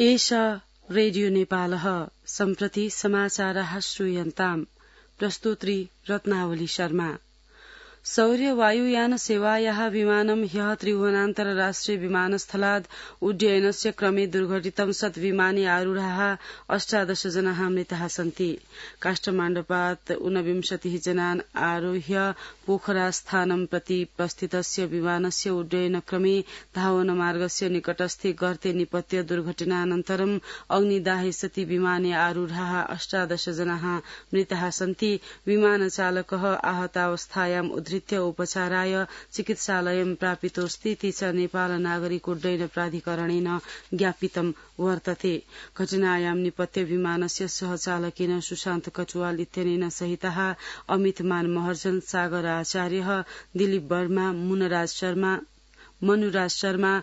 एषा रेडियो नेपालः सम्प्रति समाचारः श्रूयन्ताम् प्रस्तुत्री रत्नावली शर्मा। सौर्य वायुयान सेवायाः विमानं ह्यः त्रिभुवनान्तरराष्ट्रिय विमानस्थलाद् उड्डयनस्य क्रमे दुर्घटितं सत् विमाने आरूढाः 18 जनाः मृताः सन्ति। काष्ठमाण्डपात् 29 जनान् आरोह्य पोखरास्थानं प्रति प्रस्थितस्य विमानस्य उड्डयनक्रमे धावनमार्गस्य निकटस्थे गर्ते निपत्य दुर्घटनानन्तरं अग्निदाहे सति विमाने आरूढाः 18 जनाः मृताः सन्ति। विमानचालकः आहतावस्थायाम् उद्धृत्य उपचाराय चिकित्सालयं प्रापितोऽस्तीति च नेपाल नागरिक उड्डयन प्राधिकरणेन ज्ञापितं वर्तते। घटनायां निपत्य विमानस्य सहचालकेन सुशान्त कटुवाल इत्यनेन सहितः अमित मान महर्जन, सागर आचार्य, दिलीप वर्मा, मनुराज शर्मा,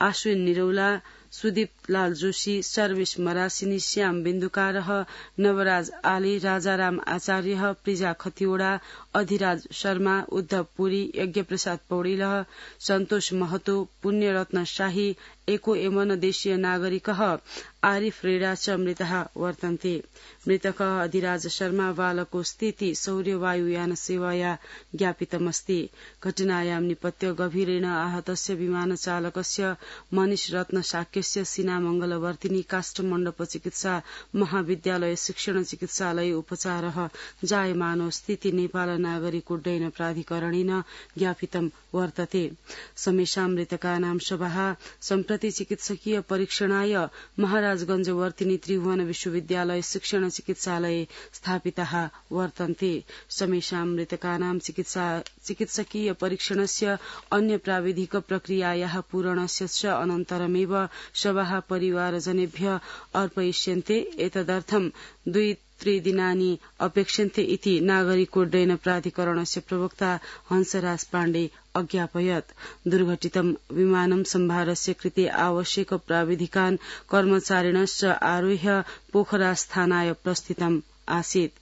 आश्विन निरौला, सुदीप लाल जोशी, सर्वेश मरासिनी, श्याम बिन्दुकारः, नवराज आले, राजाराम आचार्य, प्रिजा खतिवड़ा, अधिराज शर्मा, उद्धव पुरी, यज्ञप्रसाद पौडेलः, सन्तोष महतो, पुण्यरत्न शाही, एको एमन देशीय नागरिकः आरिफ रेडा च मृतः वर्तन्ते। मृतकः अधिराज शर्मा बालको स्थिति सौर्य वायुयान सेवाया ज्ञापितमस्ति। घटनायां निपत्य गभीरेण आहतस्य विमानचालकस्य मनीष रत्न शाक्यस्य सीनामंगलवर्तिनी काष्ठमण्डप चिकित्सा महाविद्यालय शिक्षण चिकित्सालय उपचारः जायमानो स्थिति नेपाल नागरिक उड्डयन प्राधिकरणेन ज्ञापितं वर्तते। समेषां मृतकानां शवः सम्प्रति चिकित्सकीय परीक्षणाय महाराजगंज वर्तिनी त्रिभुवन विश्वविद्यालय शिक्षण चिकित्सालये स्थापिताः वर्तन्ते। समेषां मृतकानां चिकित्सकीय परीक्षणस्य अन्य प्राविधिक प्रक्रियायाः पूरणस्य च अनन्तरमेव शवः परिवारजनेभ्यः अर्पयिष्यन्ते। एतदर्थं 2-3 दिनानि अपेक्ष्यन्ते इति नागरिकोड्डयन प्राधिकरणस्य प्रवक्ता हंसराज पाण्डे अज्ञापयत्। दुर्घटितं विमानं सम्भारस्य कृते आवश्यक प्राविधिकान् कर्मचारिणश्च आरोह्य पोखरास्थानाय प्रस्थितम् आसीत्।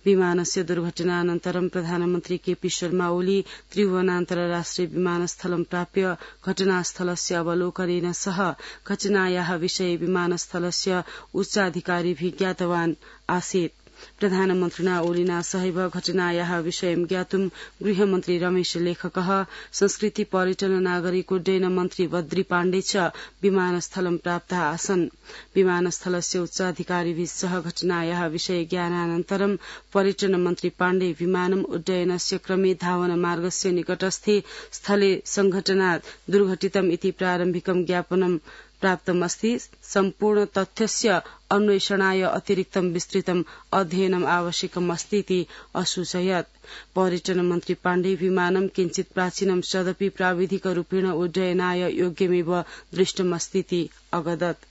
विमानस्य दुर्घटनानन्तरं प्रधानमन्त्री केपी शर्मा ओली त्रिभुवनान्तरराष्ट्रिय विमानस्थलं प्राप्य घटनास्थलस्य अवलोकनेन सह घटनायाः विषये विमानस्थलस्य उच्चाधिकारिभिः ज्ञातवान् आसीत्। प्रधानमन्त्रिणा ओलिना सहैव घटनायाः विषयं ज्ञातुं गृहमन्त्री रमेश लेखकः, संस्कृति पर्यटन नागरिक उड्डयन मन्त्री बद्री पाण्डे च विमानस्थलं प्राप्ताः आसन्। विमानस्थलस्य उच्चाधिकारिभिः सह घटनायाः विषये ज्ञानानन्तरं पर्यटन मन्त्री पाण्डे विमानम् उड्डयनस्य क्रमे धावन मार्गस्य निकटस्थे स्थले संघटनात् दुर्घटितम् इति प्रारम्भिकं ज्ञापनं प्राप्तमस्ति। सम्पूर्ण तथ्यस्य अन्वेषणाय अतिरिक्तं विस्तृतम् अध्ययनम् आवश्यकमस्तीति असूचयत्। पर्यटन मन्त्री पाण्डे विमानं किञ्चित् प्राचीनं सदपि प्राविधिकरूपेण उड्डयनाय योग्यमेव दृष्टमस्तीति अवदत्।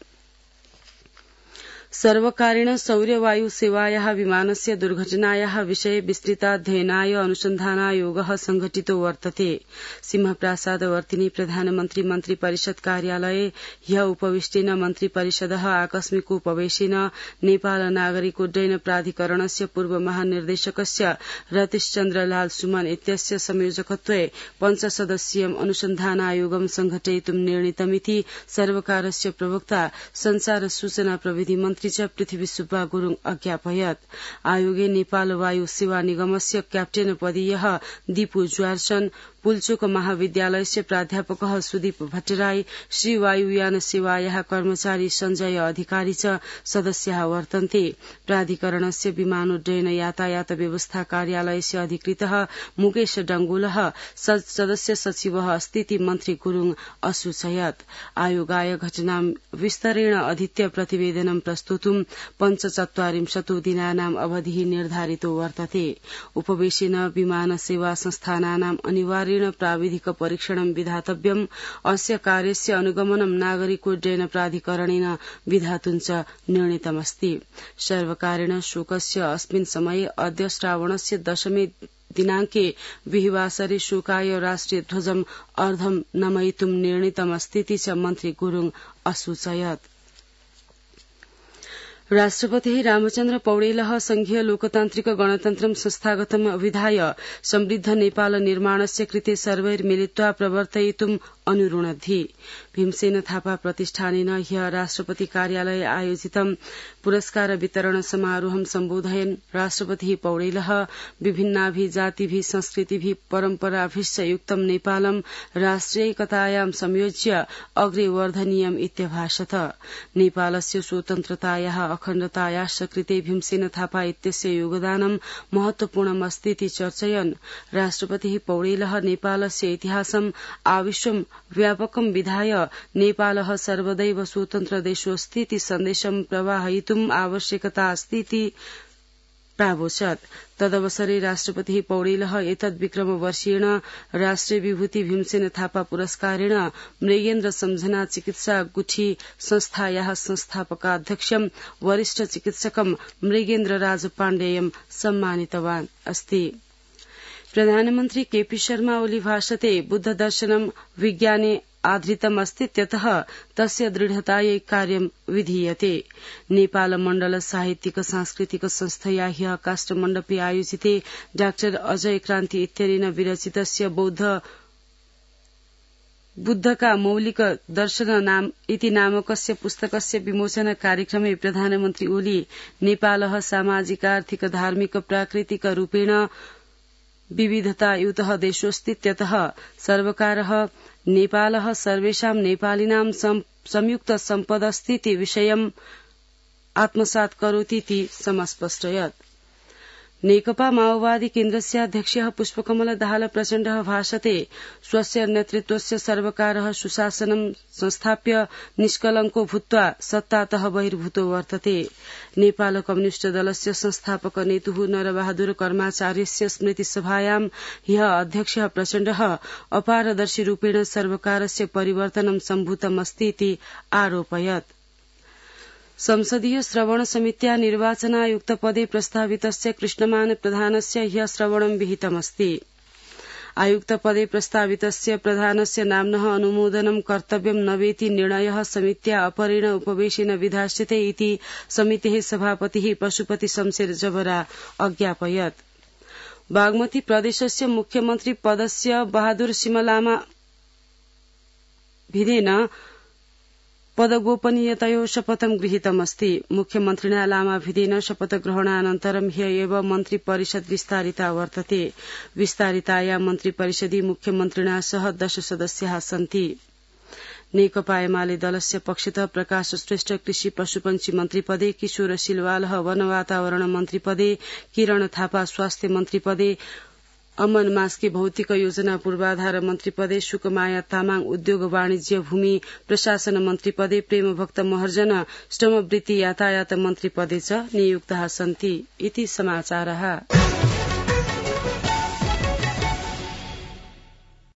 सर्वकारेण सौर्यवायु सेवायाः विमानस्य दुर्घटनायाः विषये विस्तृताध्ययनाय अनुसन्धानायोगः संघटितो वर्तते। सिंहप्रासादवर्तिनी प्रधानमन्त्री मन्त्री परिषद कार्यालये ह्यः उपविष्टेन मन्त्री परिषदः आकस्मिक उपवेशेन नेपाल नागरिक उड्डयन प्राधिकरणस्य पूर्व महानिर्देशकस्य रतीशचन्द्र लाल सुमन इत्यस्य संयोजकत्वे पञ्चसदस्यीयम् अनुसन्धानायोगं संघटयितुं निर्णीतमिति सर्वकारस्य प्रवक्ता संचार सूचना प्रविधि मन्त्री पृथ्वी सुब्बा गुरुङ अज्ञापयत्। आयोगे नेपाल वायु सेवा निगमस्य क्याप्टेन पदीयः दीपु ज्वारचन, पुल्चोक महाविद्यालयस्य प्राध्यापकः सुदीप भट्टराई, श्री वायुयान सेवायाः कर्मचारी सञ्जय अधिकारी च सदस्याः वर्तन्ते। प्राधिकरणस्य विमानोड्डयन यातायात व्यवस्था कार्यालयस्य अधिकृतः मुकेश डंगोलः सदस्य सचिवः अस्तीति मन्त्री गुरुङ असूचयत्। आयोगाय घटनां विस्तरेण अधीत्य प्रतिवेदनं प्रस्तुतुं 45 दिनानाम् अवधिः निर्धारितो वर्तते। उपवेशेन विमान सेवा संस्थानानाम् अनिवार्य प्राविधिक परीक्षणं विधातव्यम्। अस्य कार्यस्य अनुगमनं नागरिकोड्डयन प्राधिकरणेन विधातुं च निर्णीतमस्ति। सर्वकारेण शोकस्य अस्मिन् समये अद्य श्रावणस्य 10 दिनाङ्के विहिवासरे शोकाय राष्ट्रिय ध्वजम् अर्धं नमयितुं निर्णीतमस्तीति च मन्त्री गुरुङ असूचयत्। राष्ट्रपतिः रामचन्द्र पौडेलः संघीय लोकतान्त्रिक गणतन्त्रं संस्थागतम् अभिधाय समृद्ध नेपाल निर्माणस्य कृते सर्वैर्मिलित्वा प्रवर्तयितुम् अनुरुणद्धि भीमसेन थापा प्रतिष्ठानेन ह्यः राष्ट्रपति कार्यालये आयोजितं पुरस्कार वितरण समारोहं सम्बोधयन् राष्ट्रपतिः पौडेलः विभिन्नाभिजातिभिः संस्कृतिभिः परम्पराभिश्च युक्तं नेपालं राष्ट्रियैकतायां संयोज्य अग्रे वर्धनीयम् इत्यभाषत। नेपालस्य स्वतन्त्रतायाः अखण्डतायाश्च कृते भीमसेन थापा इत्यस्य योगदानं महत्वपूर्णमस्तीति चर्चयन् राष्ट्रपतिः पौडेलः नेपालस्य इतिहासम् आविश्वं व्यापकं विधाय नेपालः सर्वदैव स्वतन्त्र देशोऽस्तीति सन्देशं प्रवाहयितुम् आवश्यकता अस्तीति प्रावोचत्। तदवसरे राष्ट्रपतिः पौडेलः एतद्विक्रमवर्षीयेण राष्ट्रिय विभूति भीमसेन थापा पुरस्कारेण मृगेन्द्र सम्झना चिकित्सा गुठी संस्थायाः संस्थापकाध्यक्षं वरिष्ठ चिकित्सकं मृगेन्द्र राज पाण्डेयं सम्मानितवान् अस्ति। प्रधानमन्त्री केपी शर्मा ओली भाषते बुद्ध दर्शनं विज्ञाने आधृतम् अस्तीत्यतः तस्य दृढतायै कार्यं विधीयते। नेपाल मण्डल साहित्यिक सांस्कृतिक संस्थया ह्यः काष्ठमण्डपे आयोजिते डा अजय क्रान्ति इत्यनेन विरचितस्य बुद्धका मौलिक दर्शन इति नामकस्य पुस्तकस्य विमोचन कार्यक्रमे प्रधानमन्त्री ओली नेपालः सामाजिकार्थिक धार्मिक प्राकृतिक रूपेण विविधतायुतः देशोऽस्तीत्यतः सर्वकारः नेपालः सर्वेषां नेपालिनां संयुक्त सम्पदस्तीति विषयम् आत्मसात् करोतीति समस्पष्टयत्। नेकपा माओवादी केन्द्रस्य अध्यक्षः पुष्पकमल दाहाल प्रचण्डः भाषते स्वस्य नेतृत्वस्य सर्वकारः सुशासनं संस्थाप्य निष्कलङ्को भूत्वा सत्तातः बहिर्भूतो वर्तते। नेपाल कम्युनिष्ट दलस्य संस्थापक नेतुः नरबहादुर कर्माचार्यस्य स्मृतिसभायां ह्यः अध्यक्षः प्रचण्डः अपारदर्शी रूपेण सर्वकारस्य परिवर्तनं सम्भूतमस्तीति आरोपयत्। संसदीय श्रवण समित्या निर्वाचनायुक्तपदे प्रस्तावितस्य कृष्णमान प्रधानस्य ह्यः श्रवणं विहितमस्ति। आयुक्तपदे प्रस्तावितस्य प्रधानस्य नाम्नः अनुमोदनं कर्तव्यं न वेति निर्णयः समित्या अपरेण उपवेशेन विधास्यते इति समितेः सभापतिः पशुपति शमशेर जबरा अज्ञापयत्। बागमती प्रदेशस्य मुख्यमन्त्री पदस्य बहादुर सिमलामा भिदेन पदगोपनीयतयो शपथं गृहीतमस्ति। मुख्यमन्त्रिणा लामा भिदेन शपथग्रहणानन्तरं ह्य एव मन्त्रिपरिषद् विस्तारिता वर्तते। विस्तारिताया मन्त्रिपरिषदि मुख्यमन्त्रिणा सह 10 सदस्याः सन्ति। नेकपा एमाले दलस्य पक्षतः प्रकाश श्रेष्ठ कृषि पशुपन्छी मन्त्रिपदे, किशोर सिलवालः वन वातावरण मन्त्रिपदे, किरण थापा स्वास्थ्य मन्त्रिपदे, अमन मास्के भौतिक योजना पूर्वाधार मन्त्रिपदे, शुकमाया तामाङ उद्योग वाणिज्य भूमि प्रशासन मन्त्रिपदे, प्रेमभक्त महर्जन श्रमवृत्ति यातायात मन्त्रिपदे च नियुक्ताः सन्ति इति समाचारः।